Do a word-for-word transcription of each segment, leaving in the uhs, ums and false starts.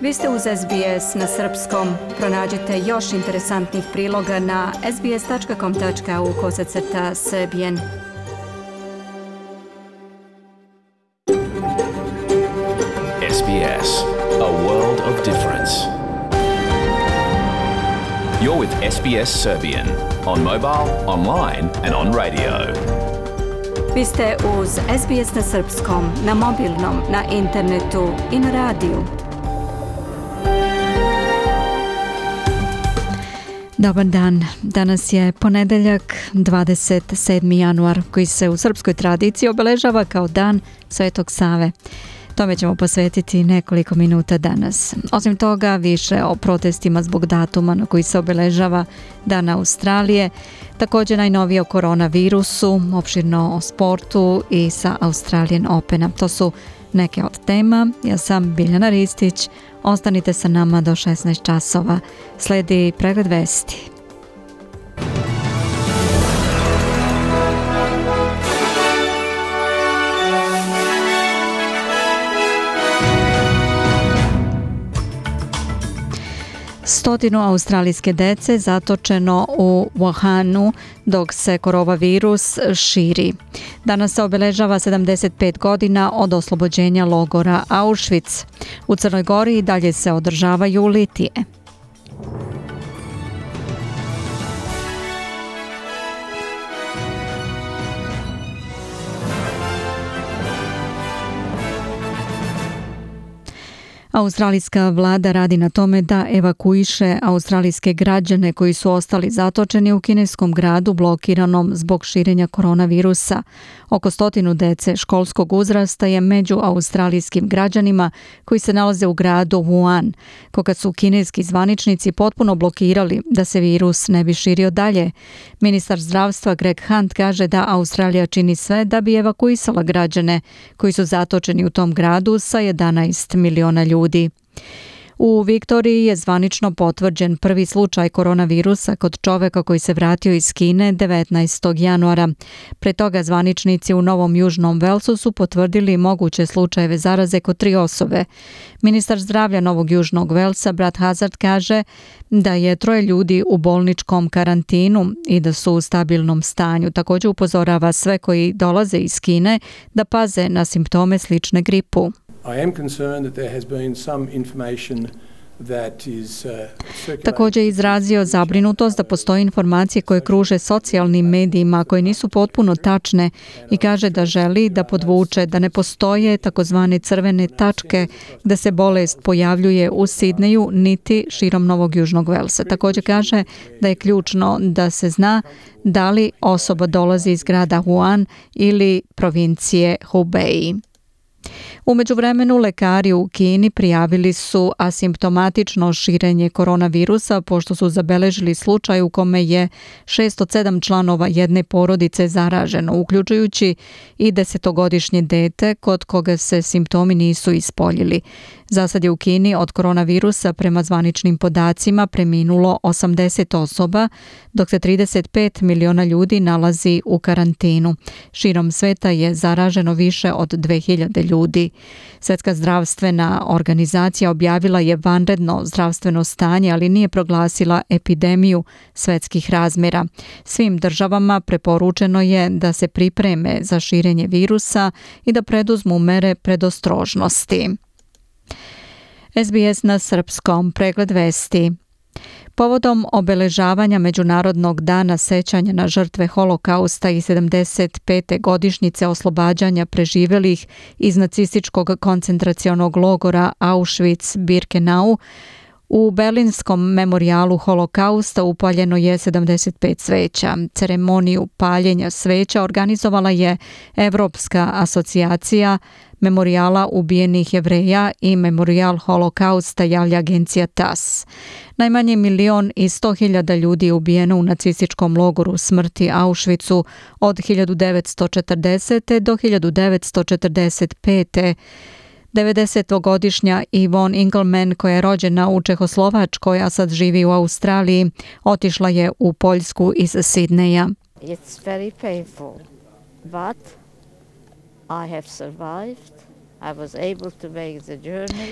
Vi ste uz S B S na srpskom. Pronađite još interesantnih priloga na sbs.com.au kosacrta srbijen. S B S, a world of difference. You're with S B S Serbian on mobile, online and on radio. Vi ste uz S B S na srpskom, na mobilnom, na internetu i na radiju. Dobar dan. Danas je ponedeljak, dvadeset sedmi januar, koji se u srpskoj tradiciji obeležava kao Dan Svetog Save. Tome ćemo posvetiti nekoliko minuta danas. Osim toga, više o protestima zbog datuma na koji se obeležava Dan Australije, također najnovije o koronavirusu, opširno o sportu i sa Australian Opena. To su neke od tema. Ja sam Biljana Ristić. Ostanite sa nama do šesnaest časova. Sledi pregled vesti. Stotinu australijske dece zatočeno u Wuhanu dok se koronavirus širi. Danas se obeležava sedamdeset pet godina od oslobođenja logora Auschwitz. U Crnoj Gori i dalje se održavaju litije. Australijska vlada radi na tome da evakuiše australijske građane koji su ostali zatočeni u kineskom gradu blokiranom zbog širenja koronavirusa. Oko stotinu dece školskog uzrasta je među australijskim građanima koji se nalaze u gradu Wuhan, koga su kineski zvaničnici potpuno blokirali da se virus ne bi širio dalje. Ministar zdravstva Greg Hunt kaže da Australija čini sve da bi evakuisala građane koji su zatočeni u tom gradu sa jedanaest miliona ljudi. U Viktoriji je zvanično potvrđen prvi slučaj koronavirusa kod čoveka koji se vratio iz Kine devetnaestog januara. Pre toga zvaničnici u Novom Južnom Velsu su potvrdili moguće slučajeve zaraze kod tri osobe. Ministar zdravlja Novog Južnog Velsa Brad Hazard kaže da je troje ljudi u bolničkom karantinu i da su u stabilnom stanju. Također upozorava sve koji dolaze iz Kine da paze na simptome slične gripu. I am concerned that there has been some information that is uh, Također je izrazio zabrinutost da postoje informacije koje kruže socijalnim medijima koje nisu potpuno tačne i kaže da želi da podvuče da ne postoje takozvane crvene tačke da se bolest pojavljuje u Sidneju niti širom Novog Južnog Velsa. Također kaže da je ključno da se zna da li osoba dolazi iz grada Wuhan ili provincije Hubei. U međuvremenu lekari u Kini prijavili su asimptomatično širenje koronavirusa pošto su zabeležili slučaj u kome je šezdeset sedam članova jedne porodice zaraženo, uključujući i desetogodišnje dete kod koga se simptomi nisu ispoljili. Zasad je u Kini od koronavirusa prema zvaničnim podacima preminulo osamdeset osoba, dok se trideset pet miliona ljudi nalazi u karantinu. Širom sveta je zaraženo više od dve hiljade ljudi. Svjetska zdravstvena organizacija objavila je vanredno zdravstveno stanje, ali nije proglasila epidemiju svjetskih razmjera. Svim državama preporučeno je da se pripreme za širenje virusa i da preduzmu mere predostrožnosti. S B S na srpskom, pregled vesti. Povodom obeležavanja Međunarodnog dana sećanja na žrtve Holokausta i sedamdeset pete godišnjice oslobađanja preživelih iz nacističkog koncentracionog logora Auschwitz-Birkenau, u Berlinskom memorijalu Holokausta upaljeno je sedamdeset pet sveća. Ceremoniju paljenja sveća organizovala je Evropska asocijacija memorijala ubijenih Jevreja i Memorijal Holokausta, javlja agencija T A S. Najmanje milion i sto hiljada ljudi je ubijeno u nacističkom logoru smrti Auschwitzu od hiljadu devetsto četrdesete do hiljadu devetsto četrdeset pete. devedesetogodišnja Yvonne Engelman, koja je rođena u Čehoslovačkoj, a sad živi u Australiji, otišla je u Poljsku iz Sidneja. It's very painful, but I have survived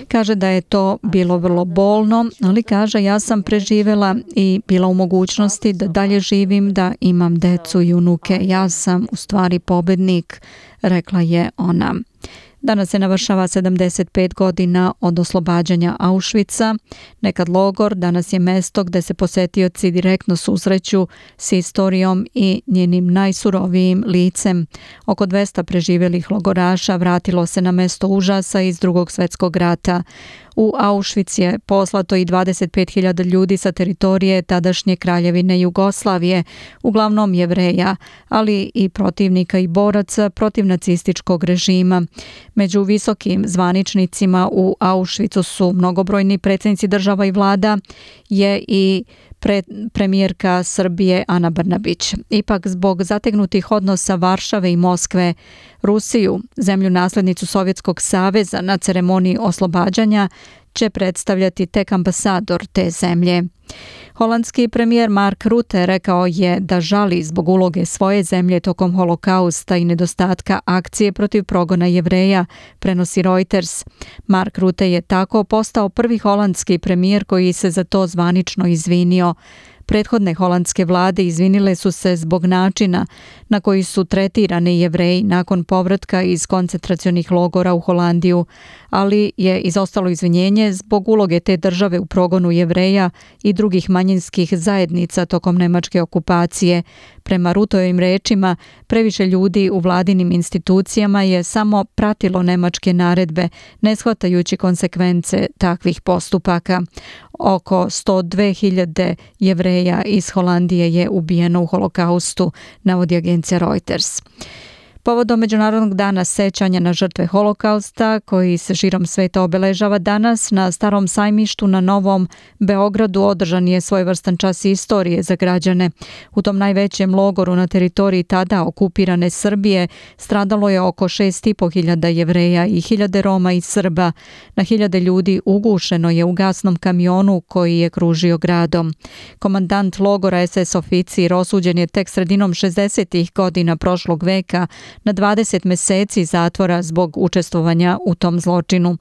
Kaže da je to bilo vrlo bolno, ali kaže ja sam preživjela i bila u mogućnosti da dalje živim, da imam decu i unuke. Ja sam u stvari pobednik, rekla je ona. Danas se navršava sedamdeset pet godina od oslobađanja Auschwitza. Nekad logor, danas je mesto gde se posetioci direktno susreću s istorijom i njenim najsurovijim licem. Oko dvesta preživjelih logoraša vratilo se na mesto užasa iz Drugog svjetskog rata. U Auschwitz je poslato i dvadeset pet hiljada ljudi sa teritorije tadašnje kraljevine Jugoslavije, uglavnom Jevreja, ali i protivnika i boraca protiv nacističkog režima. Među visokim zvaničnicima u Auschwitzu su mnogobrojni predsjednici država i vlada, je i pre, premijerka Srbije Ana Brnabić. Ipak zbog zategnutih odnosa Varšave i Moskve, Rusiju, zemlju naslednicu Sovjetskog saveza, na ceremoniji oslobađanja će predstavljati tek ambasador te zemlje. Holandski premijer Mark Rutte rekao je da žali zbog uloge svoje zemlje tokom holokausta i nedostatka akcije protiv progona Jevreja, prenosi Reuters. Mark Rutte je tako postao prvi holandski premijer koji se za to zvanično izvinio. Prethodne holandske vlade izvinile su se zbog načina na koji su tretirani Jevreji nakon povratka iz koncentracionih logora u Holandiju, ali je izostalo izvinjenje zbog uloge te države u progonu Jevreja i drugih manjinskih zajednica tokom nemačke okupacije. Prema Rutovim rečima, previše ljudi u vladinim institucijama je samo pratilo nemačke naredbe, ne shvatajući konsekvence takvih postupaka. Oko sto dve hiljade Jevreja iz Holandije je ubijeno u holokaustu, navodi agencija Reuters. Povodom Međunarodnog dana sećanja na žrtve holokausta, koji se širom sveta obeležava danas, na Starom sajmištu na Novom Beogradu održan je svojevrstan čas istorije za građane. U tom najvećem logoru na teritoriji tada okupirane Srbije stradalo je oko šest i po hiljada Jevreja i hiljade Roma i Srba. Na hiljade ljudi ugušeno je u gasnom kamionu koji je kružio gradom. Komandant logora es es oficir osuđen je tek sredinom šezdesetih godina prošlog veka na dvadeset meseci zatvora zbog učestvovanja u tom zločinu.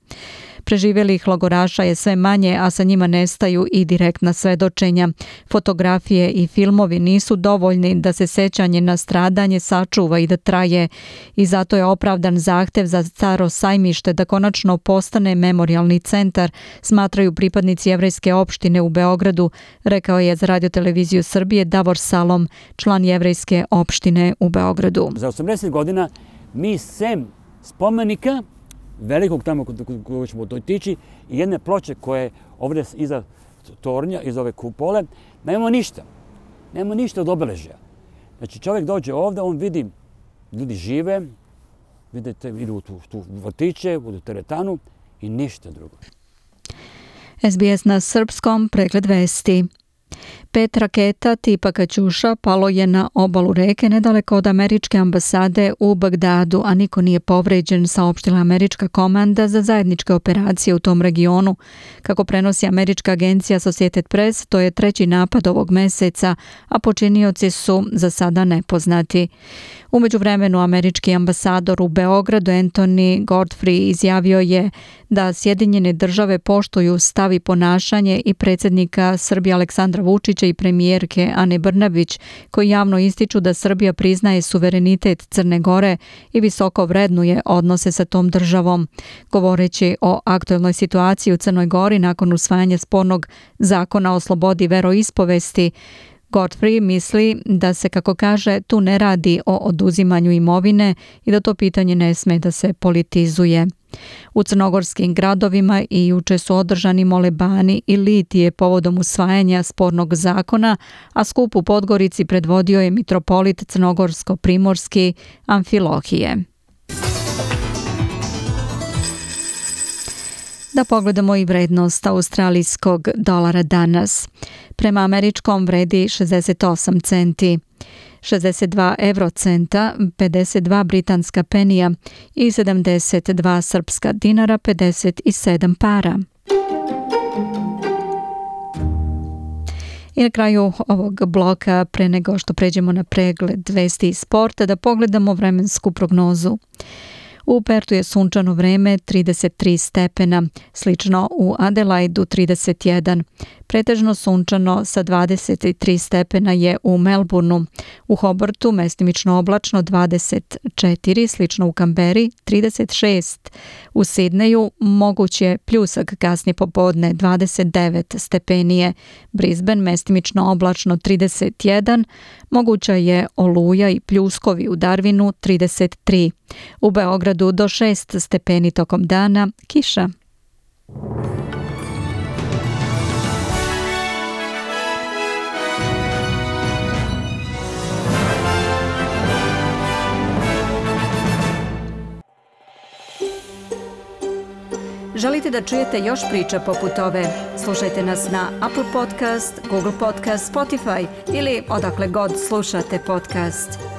Preživjelih logoraša je sve manje, a sa njima nestaju i direktna svedočenja. Fotografije i filmovi nisu dovoljni da se sećanje na stradanje sačuva i da traje, i zato je opravdan zahtev za Staro sajmište da konačno postane memorijalni centar, smatraju pripadnici jevrejske opštine u Beogradu, rekao je za Radio-televiziju Srbije Davor Salom, član jevrejske opštine u Beogradu. Za osamdeset godina mi sem spomenika velikog tamo kojeg ćemo otići i jedne ploče koje ovdje iza tornja, iz ove kupole, nemamo ništa. Nemamo ništa od obeležja. Znači čovjek dođe ovdje, on vidi, ljudi žive, vidite, idu u tu, tu vrtiće, u teretanu i ništa drugo. es be es na srpskom, pregled vesti. Pet raketa tipa Kaćuša palo je na obalu reke nedaleko od američke ambasade u Bagdadu, a niko nije povređen, saopštila američka komanda za zajedničke operacije u tom regionu. Kako prenosi američka agencija Associated Press, to je treći napad ovog meseca, a počinioci su za sada nepoznati. U međuvremenu američki ambasador u Beogradu Anthony Godfrey izjavio je da Sjedinjene države poštuju stav i ponašanje i predsjednika Srbije Aleksandra Vučića i premijerke Ane Brnabić, koji javno ističu da Srbija priznaje suverenitet Crne Gore i visoko vrednuje odnose sa tom državom. Govoreći o aktuelnoj situaciji u Crnoj Gori nakon usvajanja spornog zakona o slobodi veroispovesti, Godfrey misli da se, kako kaže, tu ne radi o oduzimanju imovine i da to pitanje ne sme da se politizuje. U crnogorskim gradovima i juče su održani molebani i litije povodom usvajanja spornog zakona, a skup u Podgorici predvodio je mitropolit crnogorsko-primorski Amfilohije. Da pogledamo i vrednost australijskog dolara danas. Prema američkom vredi šezdeset osam centi, šezdeset dva eurocenta, pedeset dva britanska penija i sedamdeset dva srpska dinara, pedeset sedam para. I na kraju ovog bloka, pre nego što pređemo na pregled vesti i sporta, da pogledamo vremensku prognozu. U Pertu je sunčano vreme trideset tri stepena, slično u Adelaidu trideset jedan. Pretežno sunčano sa dvadeset tri stepena je u Melbourneu. U Hobartu mestimično oblačno dvadeset četiri, slično u Kamberi trideset šest. U Sidneju moguće pljusak kasnije popodne dvadeset devet stepenije. Brisbane mestimično oblačno trideset jedan, moguća je oluja i pljuskovi u Darwinu trideset tri. U Beogradu do šest stepeni tokom dana, kiša. Želite da čujete još priča poput ove? Slušajte nas na Apple Podcast, Google Podcast, Spotify ili odakle god slušate podcast.